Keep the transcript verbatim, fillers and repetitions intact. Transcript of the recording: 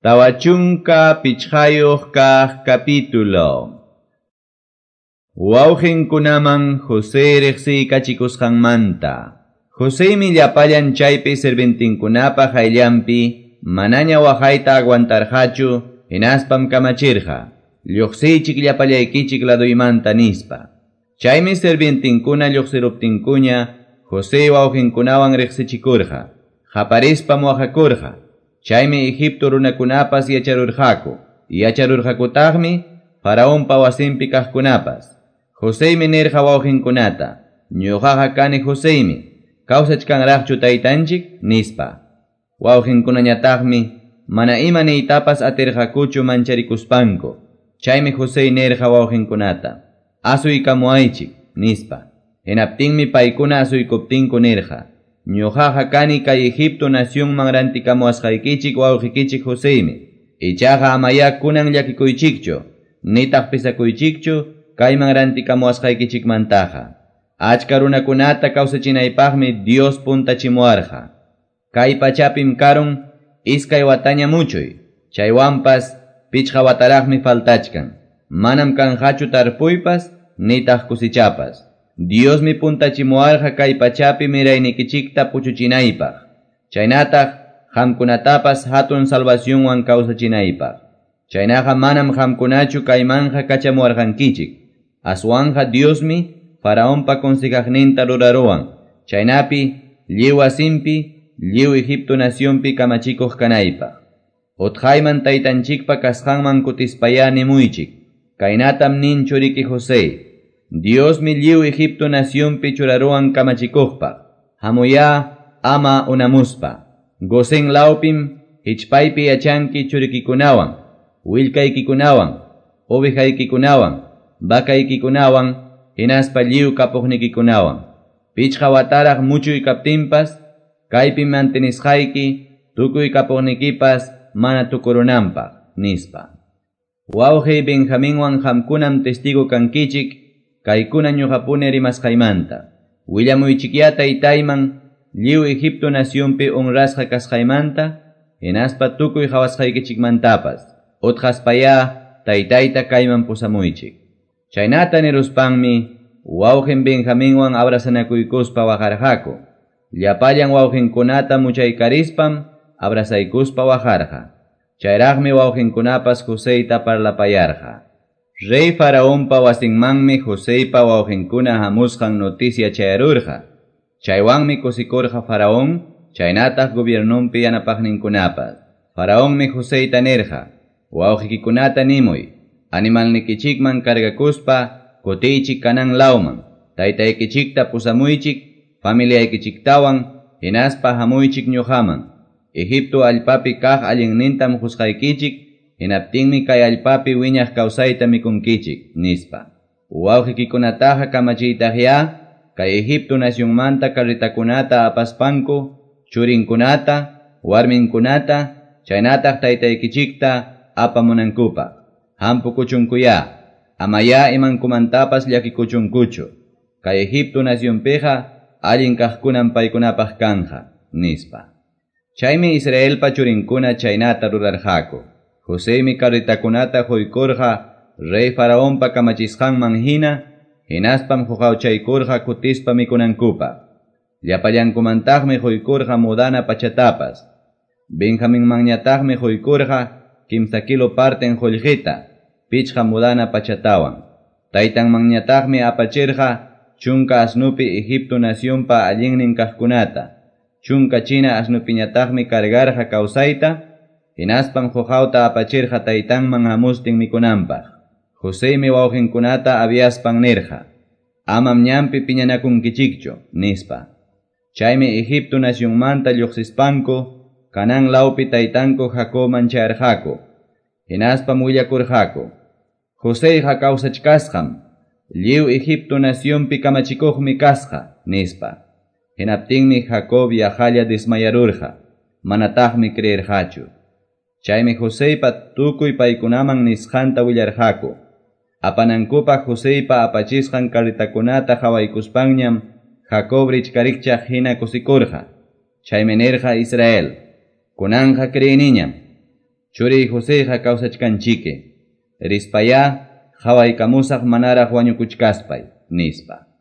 Tawa chunka pichqayuq kaq capítulo. Wawqinkunaman José riqsiykachikusqanmanta. Josemi llapallan chaypi sirventinkunapa qayllanpi manaña waqayta aguantarqachu hinaspam kamachirqa. Lluqsiychik llapallaykichik laduymanta nispa. Chaymi sirvientinkuna lluqsiruptinkuña José wawqinkunawan riqsichikurqa. Qaparispam waqakurqa. Chaymi Egipto runakunapas yacharurqaku. Yacharurqakutaqmi Faraonpa wasinpi kaqkunapas. Josemi nirqa wawqinkunata, ñuqaqa kani Josemi, kawsachkanraqchu taytanchik, nispa. Wawqinkunañataqmi mana ima niytapas atirqakuchu mancharikuspanku. Chaymi José nirqa wawqinkunata, asuykamuaychik, nispa. Hinaptinmi paykuna asuykuptinku nirqa, ñuqaqa kani kay Egipto nacionman rantikamuwasqaykichik wawqikichik Josemi. Ichaqa amaya kunan llakikuychikchu, nitaq pisakuychikchu kayman rantikamuwasqaykichikmantaqa. Achka runakunata kawsachinaypaqmi Dios puntachimuwarqa. Kay pachapim karun iskay wataña muchuy, chaywanpas pichqa wataraqmi faltachkan. Manam kanqachu tarpuypas nitaq kusichapas. Diosmi puntachimuwarqa kay pachapi miraynikichikta puchuchinaypaq. Chaynataq qamkunatapas hatun salvacionwan kawsachinaypaq. Chaynaqa manam qamkunachu kaymanqa kachamuwarqankichik. Aswanqa Diosmi Faraonpa consejaqninta ruraruwan. Chaynapi lliw wasinpi, lliw Egipto nacionpi kamachikuq kanaypaq. Utqayman taytanchikpa kasqanman kutispayá nimuychik. Kaynatam nin churiki José. Diosmi lliw Egipto nacionpi churaruwan kamachikuqpaq. Hamuyá ama unamuspa. Gosén lawpim hichpaypi yachanki churikikunawan, willkaykikunawan, ovejaykikunawan, vacaykikunawan, hinaspa lliw kapuqnikikunawan. Pichqa wataraq muchuy kaptinpas, kaypi mantenisqayki, tukuy kapuqnikipas mana tukurunanpaq, nispa. Wawqiy Benjaminwan qamkunam testigo kankichik, kaykuna ñuqapuni rimasqaymanta. Willamuychikyá taytayman lliw Egipto nacionpi honrasqa kasqaymanta, hinaspa tukuy qhawasqaykichikmantapas. Utqaspayá taytayta kayman pusamuychik. Chaynata niruspanmi wawqin Benjaminwan abrazanakuykuspa waqarqaku. Llapallan wawqinkunata muchaykaриspam abrazaykuspa waqarqa. Chayraqmi wawqinkunapas Joseyta parlapayarqa. Rey Faraonpa wasinmanmi Joseypa wawqinkuna hamusqan noticia chayarurqa. Chaywanmi kusikurqa Faraón, chaynataq gobiernonpi yanapaqninkunapas. Faraonmi Joseyta nirqa, wawqikikunata nimuy, animalnikichikman cargakuspa kutiychik Canaán lawman, taytaykichikta pusamuychik, familiaykichiktawan, hinaspa hamuychik ñuqaman. Egipto allpapi kaq allinnintam qusqaykichik, hinaptinmi kay allpapi wiñaq kawsayta mikunkichik, nispa. Wawqikikunataqa kamachiytaqyá, kay Egipto nacionmanta carretakunata apaspanku, churinkunata, warminkunata, chaynataq taytaykichikta apamunankupaq. Hampukuchunkuyá, amayá imankumantapas llakikuchunkuchu. Kay Egipto nacionpiqa allin kaqkunam paykunapaq kanja, nispa. Chaymi Israelpa churinkuna chaynata rurarqaku. Josemi carretakunata quykurqa rey Faraonpa kamachisqanman hina, hinaspam huqawchaykurqa kutispa mikunankupaq. Llapallankumantaqmi quykurqa mudana pachatapas. Benjaminmanñataqmi quykurqa kimsa kilo parten qullqita, pichqa mudana pachatawan. Taytanmanñataqmi apachirqa chunka asnupi Egipto nacionpa allinnin kaqkunata. Chunka china asnupiñataqmi cargarqa kawsayta, hinaspam huqawta apachirqa taytanman hamustin mikunanpaq. Josemi wawqinkunata aviaspan nirqa, amam ñanpi piñanakunkichikchu, nispa. Chaymi Egipto nacionmanta lluqsispanku, Canaán lawpi taytanku Jacobman chayarqaku. Hinaspam willakurqaku, Joseyqa kawsachkasqam, lliw Egipto nacionpi kamachikuqmi kasqa, nispa. Hinaptinmi Jacob yaqalla desmayarurqa, manataqmi creerqachu. Chaymi Joseypa tukuy paykunaman nisqanta willarqaku. Apanankupaq Joseypa apachisqan carretakunata qhawaykuspanñam Jacob richkarikchaq hina kusikurqa. Chaymi nirqa Israel, kunanqa creeniñam. Churiy Joseyqa kawsachkanchiki. Rispayá qawaykamusaq manaraq wañukuchkaspay, nispa.